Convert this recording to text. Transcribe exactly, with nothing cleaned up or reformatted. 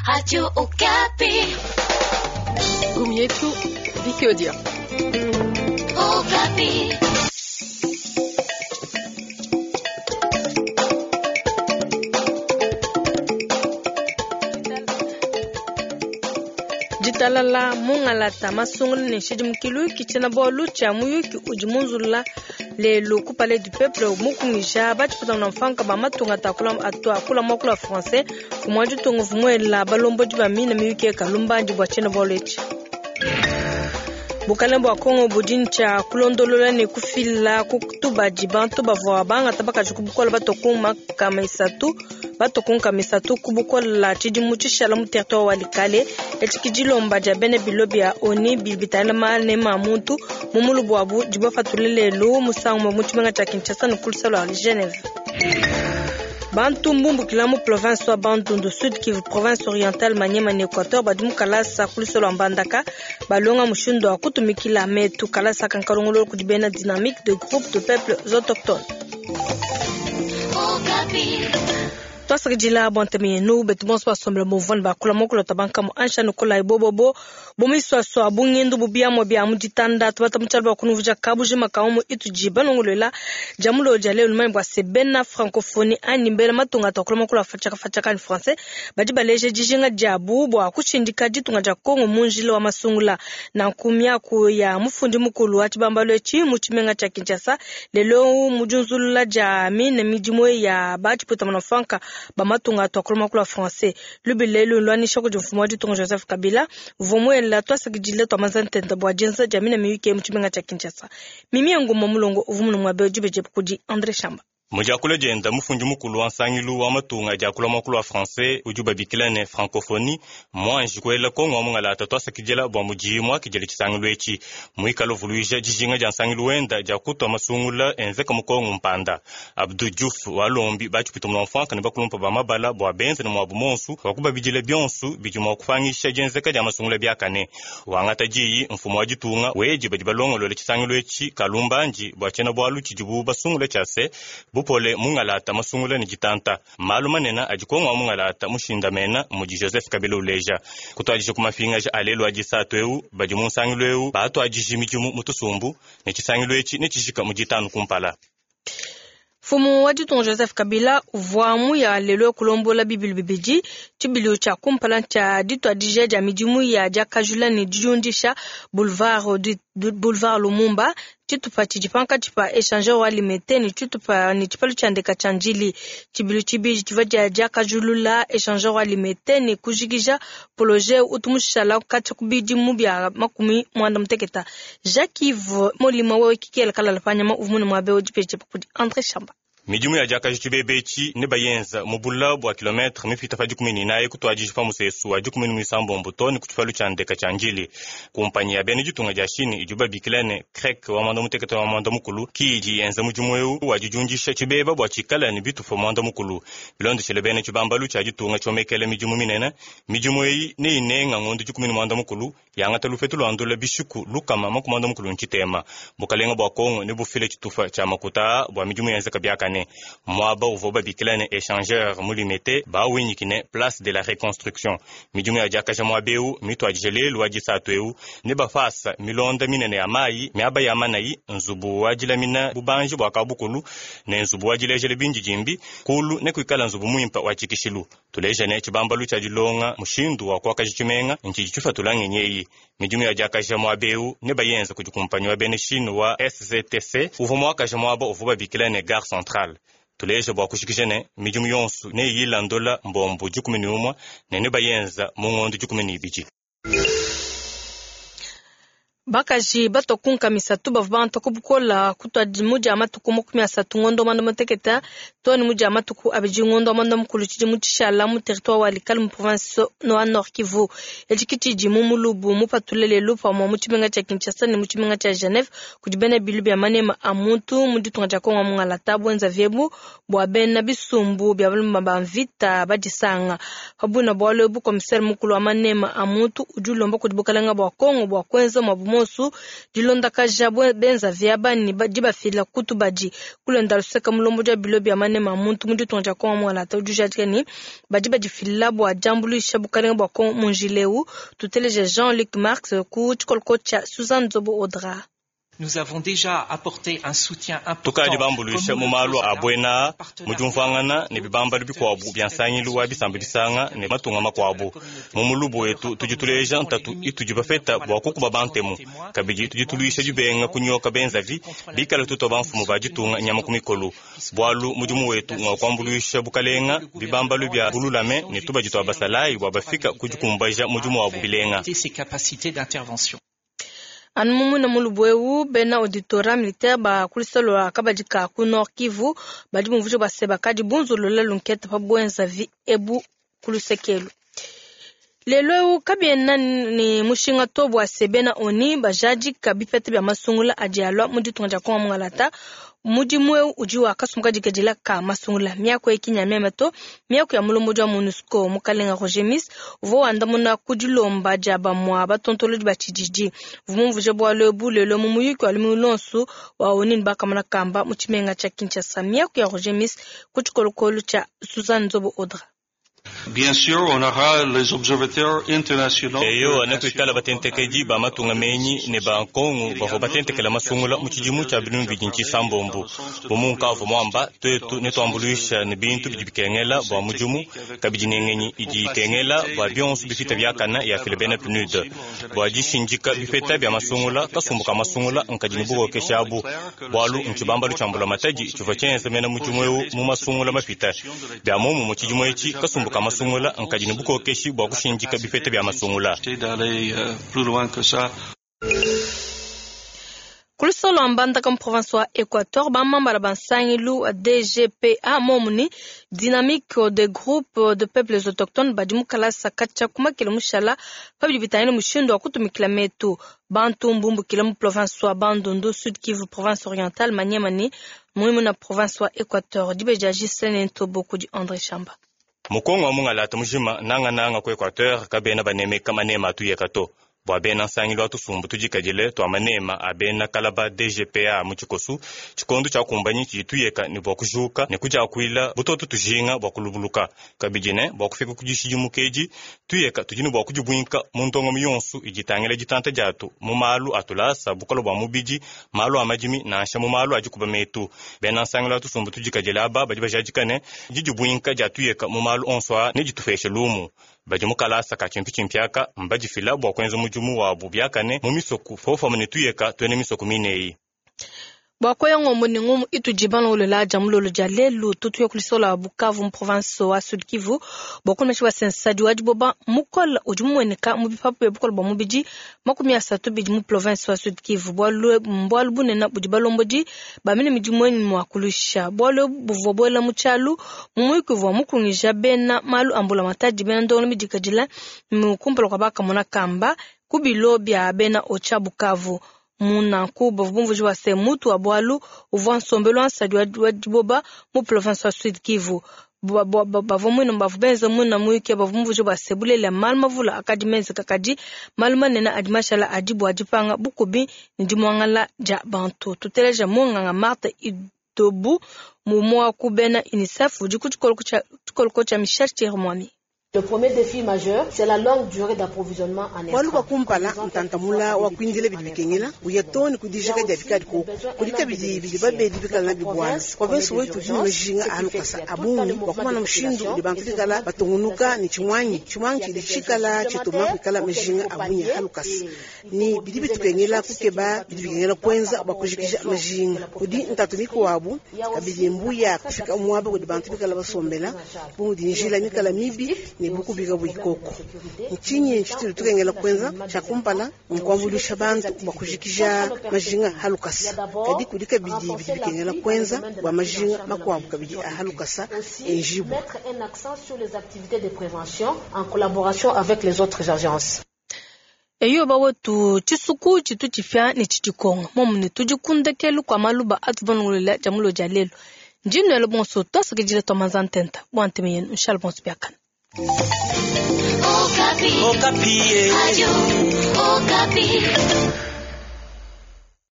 Radio Okapi. Gumietu, Viki Odia. Okapi. Ditalala mungalata masungulu ne nshidimukilu kitshina bualu tshia muyuki udi munzulula lelu ku Palais du Peuple mukungija batshipatana mfanka ba matunga atakula atu akula mwakula français kumwa ditunga vumuela balombodi ba mina miyuki ekalumbandi bua tshiena bualu etshi. Bukalenge bua Kongo budi ntshia kulondolola ne kufila kutubadi bantu bavua bangata bakaji ku bukola batoku makama isatu batoku nkama isatu ku bukola tshidimu tshishala mu territoire wa Likale etshi dilomba dia bena bilo bia ONU bidi bitangila manema a muntu mu mulubu wabu dibapatule lelu musangu mu tshimenga tshia Kinshasa ne ku lusala lua Geneve. Bantu mbumbukila mu province wa Bandundu, Sud Kivu, province orientale Maniema ne Equateur badi mu kalasa ku lusolo lua Mbandaka balonga mushindu wa kutumikila metu kalasa kankalongolo kudi bena dynamique de groupe de peuples autochtones. Okapi. Twasakidila bua ntema yenu betu bonso basombela muvua bakula mokolo tabanka mu ansha nukola ibobobo bomiswaswa bungindu bubiamwa bia mu ditanda tubata mutshala bua kunuvuja kabujima kaomo itudi balongolola dia mulo dia lelu lumanye bua se bena francophonie anyi mbela matunga atakula mokolo afatshaka fatshaka ni français badi baleje dijinga diabu bua kushindika ditunga dia Kongo mu njila wa masungula nanku miaku ya mufundi mukulu wa tshibambalu etshi mu tshimenga tshia Kinshasa lelo mu diunzulula dia mine midimu ya batshiputamana franka bamatunga atwakula makulu a français lubile lwanisha kudi mfumu wa ditunga Joseph Kabila vumuela twasakidile twamanza ntenta bua dienza dia mina miyuki mu tshimenga tshia Kinshasa. Mimi ya nguma mulongo uvumunu mwa beji beje kudi André Shamba. Mujakula dienda mufundi mukulu wa nsangilu wa matunga diakula mwakulu wa français udi ubabikila ne francophonie mwanji kuela Kongo wa mungalata twasakidila bua mudiyi muakidile tshisangilu etshi muikala uvuluija dijinga dia nsangilu wenda dia kutua masungula enzeka mu Kongo mpanda. Abdou Diouf walombi batshipita mu mfanka ne bakulumpa ba mabala bua benze ne muabu monsu wa kubabidila bionsu bidi mua kupangisha dienzeka dia masungula biakane. Wangata diyi mfumu wa ditunga wedi badi balongolola tshisangilu etshi kalumbandi bua tshiena bualu tshidibu basungula tshia se bupole mungalata masungula ne ditanta malu manene adi Kongo wa mungalata mushindamena mudi Joseph Kabila uleja kutuadija ku mapingaja alelu adi satu eu badi mu nsangilu eu batuadija midimu mu tusumbu ne tshisangilu etshi ne tshijika mu ditanu kumpala. Mfumu wa ditunga Joseph Kabila uvua muya lelo kulombola bibilu bibidi tshibilu tshia kumpala tshia dituadija dia midimu ya diakajula ne didiundisha boulevard boulevard Lumumba tshitupa tshidi pankatshi pa échangeur wa Limete ne tshitupa ne tshipalu tshia ndeka tshia Ndjili. Tshibilu tshibidi tshivua dia diakajulula échangeur wa Limete ne kujikija projet utu mushala katshia ku bidimu bia makumi mwanda muteketa. Jacques Yves Molima wewe kikela kalala panyama uvumune muabe udi kudi André Shamba. Midimu ya diakaji tshibebe etshi ne bayenza mu bula bua kilometre mipita pa dikumi ne inayi kutuadija pa musesu wa dikumi ne muisambombo to ne ku tshipalu tshia ndeka tshia Ndjili. Kumpanyi ya bena ditunga dia Chine idi babikila ne CREC wa mwanda mutekete wa mwanda mukulu ki idi yenza mudimu eu wa didiundisha tshibeba bua tshikala ne bitupa mwanda mukulu. Bilondeshele bena tshibambalu tshia ditunga tshiomekele midimu minene midimu eyi ne inenga ngondo dikumi ne mwanda mukulu yangata lupetu lua ndula bishiku lukama makumi mwanda mukulu ntshitema. Bukalenga bua Kongo ne bufile tshitupa tshia makuta bua midimu yenzeka biakane. Mwaba uvua babikila ne échangeur mu Limete bawinyikine place de la reconstruction. Midimu ya diakaja muaba eu mituadije lelu wa disatu eu ne bafasa milonda minene ya mayi miaba ya manayi nzubu wa dilamina bubanji bua kabukulu ne nzubu wa dilejele bindidimbi kulu ne kuikala nzubu muimpa wa tshikishilu. Tuleja ne tshibambalu tshia dilonga mushindu wa kuakaja tshimenga ntshidi tshifatula ngenyi eyi. Midimu ya diakaja muaba eu ne bayenza kudi kumpanyi wa bena Chine wa S Z T C uvua muakaja muaba uvua babikila ne gare centrale. Tuleja bua kushikisha ne midimu yonso ne yilandola mbombo dikumi ne umue ne ne bayenza mu ngondo dikumi ne ibidi. Bakaji batokunka misatu bavua bantu kubukola kutuadi mu dia matuku makumi asatu ngondo mwanda muteketa to ne mu dia matuku abidi ngondo mwanda mukulu tshidi mu tshishala mu territoire wa Likale mu province wa Nord Kivu. Etshi tshidi mu mulubu mupatule lelu pamue mu tshimenga tshia Kinshasa ne mu tshimenga tshia Geneve kudi bena bilu bia manema a muntu mu ditunga dia Kongo mungalata bwenza vyebu bua bena bisumbu bia balumba ba mvita badisanga. Pabuna bualu ebu commissaire mukulu wa manema a muntu udi ulomba kudi bukalenga bua Kongo bua kuenza mwabu monsu dilondakaja benza vyaba ne dibafila kutubadi kulenda luseka mulombo dia bilo bya manema muntu mu ditunga dia Kongo mwalata udi ni badi badifila bua diambuluisha bukalenga bua Kongo mu njileu. Tuteleje Jean-Luc Marx ku tshikoloko tshia Suzanne Zobo Audra. Nous avons déjà apporté un soutien important. Tukadi bambuluisha mu malu a buena mu diumvuangana ne bibambalu bikuabu bia nsangilu wa bisamba bisanga ne matunga makuabu. Mu mulubu wetu tudi tuleja ntatu itudi bafeta bua kukuba bantemu kabidi tudi tuluisha dibenga kunyoka benzavi bikala tuto bamfumu ba ditunga nyama ku mikolo bualu mudimu wetu ngwa kuambuluisha bukalenga bibambalu bia bululame ne tubadi tua basalayi bua bafika kudikumbaja mudimu wabu bilenga. Anu mumuna mulubu bena auditorat militaire ba kulisalo akabadika ku Nord Kivu badi mumvujo baseba kadi bunzolola lunkete pa bwenza vi ebu kulusekelu. Lelo kabiena ni mushinga to bwa sebena oni bajaji kabipete bya masungula adi alwa mu ditunga dia Kongo mungalata mudimu eu udi wakasumuka dikadila ka masungula miako ekinya memeto miako ya mulombo wa MONUSCO mukalenga Roger Miss uvo wandamuna kudilomba dia bamwa batontolodi ba tshididi vumumvuje bwalo bulelo mu muyuki wa lumulonsu wa oni bakamana kamba mu tshimenga tshia Kinshasa miako ya Roger Miss ku tshikolokolo tshia Suzanne Nzobo Audra. Bien sûr, on aura les observateurs internationaux. Eyo anakuikala batentekedi ba matunga menyi ne ba nkongu bavua batentekela masungula mu tshidimu tshia binunu bidi ntshisa-mbombu. Bumunkavu mwamba twetu ne tuambuluisha ne bintu bidi bikengela bua mudimu kabidi ne ngenyi idi ikengela bua bionso bifita biakana ya file bena P N U D. Bua dishindika bifeta bia masungula kasumbu ka masungula nkadi ne bukokesha abu bualu ntshibambalu tshia mbula matadi tshivua tshienza mena mudimu eu mu masungula mapita. Bia momu mu tshidimu etshi kasumbu ka masungula nkadi ne bukokeshi bua kushindika bifete bia masungula. Kulusolo ambandaka mu province wa Equateur bamambala bansangilu D G P A momuni dynamique de groupe de peuples autochtones badi mukalasa katshia kumakela mushala pabidi bitangile mushindu wa kutumikila metu bantu mbumbukila mu province wa Bandundu Sud Kivu province orientale Maniema ne muimu na province wa Equateur dibeja Gislaine Ntobo kudi André Chamba. Mukongo wa mungalata mujima nanga nanga ku Equateur kabena banemeka manema atuyeka to. Bua bena nsangilu atusumbu tudikadile tua manema a bena kalaba D G P A mu tshikosu tshikondo tshia kumbanyi tshidi tuyeka ne bua kujuka ne kudiakuila butoto tujinga bua kulubuluka kabidi ne bua kufika ku dishidimuka edi tuyeka tudi ne bua kudibuinka mu ndongamu yonso idi itangila ditanta diatu mu malu atulasa bukolo bua mubidi malu a madimi nansha mu malu adi kuba metu. Bena nsangilu atusumbu tudikadile aba badi bajadika ne didibuinka dia tuyeka mu malu onso a ne ditupeshe lumu. Badi mukalasa ka tshimpitshimpiaka mbadifila bua kuenza mudimu wabu biakane mu misoku fofama ne tuyeka tuene misoku mineyi. Bua koya ngombo ne ngomu itudi balongolola dia mulolo dia lelu tutuya kulisola Bukavu mu province wa Sud Kivu bua kunemesha basensadi wa diboba mukola udi mumueneka mu bipapu bia bukola bua mubidi makumi asatu bidi mu province wa Sud Kivu bualu bualu bunene budi balombodi bamene midimu eni mua kulusha bualu buvua buela mu tshialu mu muyuki uvua mukungija bena malu ambula matadi bena ndongo midikadila mu kumpala kua bakamona kamba ku bilo bia bena ocha Bukavu. Munanku bavumvuji wa se mutu wa bwalu uvua nsombelu ansadi wa diboba mu province wa Sud Kivu bavua mwina bavu benza mwina muyuki bavumvuji wa se bulela malu mavula akadi menze kakadi malu manene adi mashala adi bua dipanga bukubi ne dimuangala dia bantu. Tuteleja munganga Marthe Idobu mumwa ku bena UNICEF udi ku tshikoloko tshia Michel Thierry. Le premier défi majeur, c'est la longue durée d'approvisionnement en Walu kwa kumpala ntantamula wa kuindile bidi bikengela uyatoni kudijika dia bikadi ko kulika bidi bidi babedi bikala na bibwana province wetu dini majinga alukasa abungi kwa kumana mshindu di bantu bikala batungunuka ni chimwanyi chimwanyi chidi chikala chituma bikala majinga abunya halukasa ni bidi bitukengela kukeba bidi bikengela kwenza bakujikisha majinga kudi ntatumiko wabu kabidi mbuya kufika mwaba kudi bantu bikala basombela budi njila mikala mibi ne bukubiga buikoko nchinyi nchitulu tukengela kwenza chakumpala nkwambulisha bantu bakujikisha majinga halukasa kadi kudika bidi bidi bikengela kwenza bwa majinga makwabu kabidi halukasa enjibu. Mettre un accent sur les activités de prévention en collaboration avec les autres agences. Eyo bawetu tshisuku tshitu tshifia ne tshidikonga momu ne tudikundekelu kwa maluba atuvanungulela dia mulo dia lelu ndinwele bonso twasakidila twa manza ntenta bua nteme yenu nshala bonso biakana. Okapi. Okapi. Radio Okapi.